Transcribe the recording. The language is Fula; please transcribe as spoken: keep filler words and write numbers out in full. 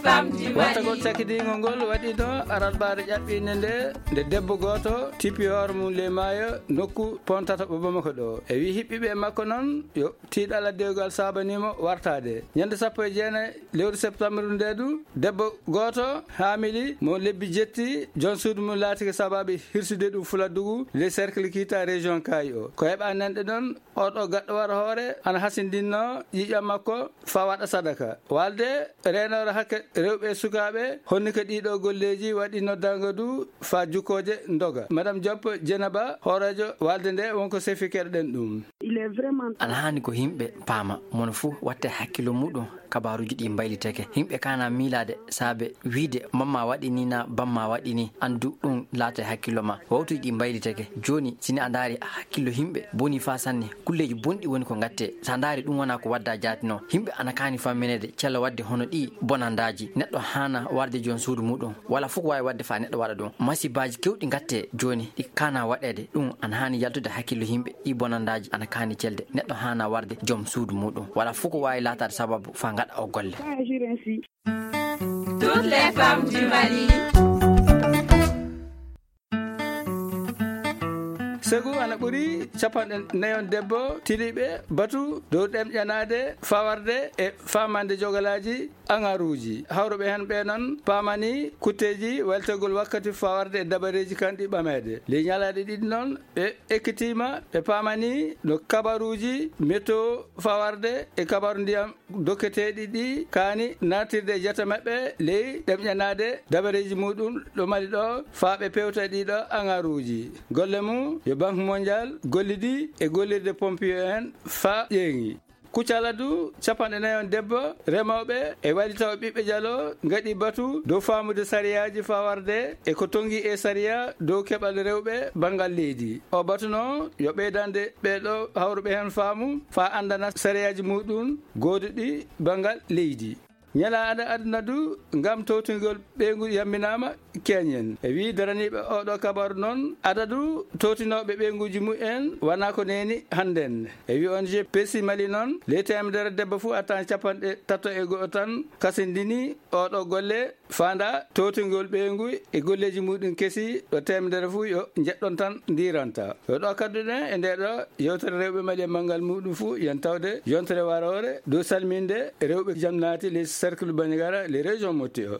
Wartagol cakkidiingol ngol waɗiino alarbaare ƴaɓɓiinde nde, nde debbo gooto tippi hoore mum ley maayo nokku Pontata ɓo Bamako ɗo. E wii hiɓɓiiɓe makko noon yo tiiɗalla dewgal saabanii mo wartaade. Ñande sappo e jeenayi lewru septembre nde du, debbo gooto haamili mo lebbi jetti, joom suudu mum laatike sabaabi hirsude ɗum Fuladdugu, le cercle Kita, région Kaayi o. Ko heɓa nanɗe noon, oɗo gaɗɗo wara hoore ana hasindinnoo ƴiiƴam makko faa waɗa sadaka. Walde reenoore hakke rewɓe e sukaaɓe, honni ko ɗiiɗo golleeji waɗi noddaango du faa jukkooje ndoga. Madame Diop Dieynaba, hooreejo walde nde, wonko sefikeɗen ɗum. Ana haani ko yimɓe paama, mono fuu watta hakkillo muɗum, kabaaruuji ɗi mbaylitake. Yimɓe kaana miilaade saabe wiide mamma waɗi ni na bamma waɗi ni, anndu ɗum laata e hakkillo ma. Wawtuuji ɗi mbaylitake. Jooni, si ni a ndaari hakkillo yimɓe boni faa sanne, kulleeji bonɗi woni ko ngatte. So a ndaari ɗum wonaa ko wadda jaati no. Yimɓe ana kaani fammineede cella waɗde hono ɗi bonandaaji. Neɗɗo haana warde joom suudu muɗum. Wala fof ko waawi waɗde faa neɗɗo waɗa ɗum. Masibaaji kewɗi ngatte jooni, ɗi kaana waɗeede. Ɗum ana haani yaltude hakkillo yimɓe. Ɗi bonandaaji ana kaani celde. Neɗɗo haana warde joom suudu muɗum. Wala fof ko waawi laataade sababu faa ngaɗa o golle. Toutes les femmes du Mali. Segu ana ɓuri capanɗe nayon debbo tiliɓe batu dow ɗemƴanaade, fawarde e faamande jogalaaji aŋaruuji. Hawruɓe heen ɓe noon paamani kutteeji waylitegol wakkati fawarde e dabareeji kanɗi ɓameede. Ley ñalaaɗe ɗiɗi noon, ɓe ekkitiima, ɓe paamani no kabaruuji météo fawarde e kabaru ndiyam dokketeeɗi ɗi kaani natirde e jate maɓɓe ley ɗemƴanaade dabareeji muɗum ɗo Mali ɗo, faa ɓe pewta ɗiɗo aŋaruuji. Golle mum yo Banque Mondiale gollidi e gollirde pompier en faa ƴeeŋi. Kuccala du capanɗe nayon debbo remooɓe e waylitawo ɓiɓɓe jalo ngaɗi batu dow faamude sariyaaji fawarde e ko tongi e sariya dow keɓal rewɓe banngal leydi. O batuno yo ɓeydande ɓeeɗo hawruɓe heen faamu faa anndana sariyaaji muɗum gooduɗi banngal leydi. Ñalaaɗe aduna du ngam towtingol ɓeyngu yamminaama keñen. E wii daraniiɓe oɗo kabaru noon, adadu towtinooɓe ɓeynguuji mumen wanaa ko neeni hannden. E wii O N G P C Mali noon, ley teemedere debbo fuu attan capanɗe tato e go'o tan kasindini oɗo golle faanda towtingol ɓeyngu e golleeji muɗum kesi ɗo teemedere fuu yo njeɗɗon tan ndiiranta. Yo ɗo kadduɗen e nde ɗo yewtere rewɓe Mali e manngal muɗum fuu, yen tawde yontere waroore dow salminde rewɓe jam naati ley cercle Bandiagara, ley région Mopti o.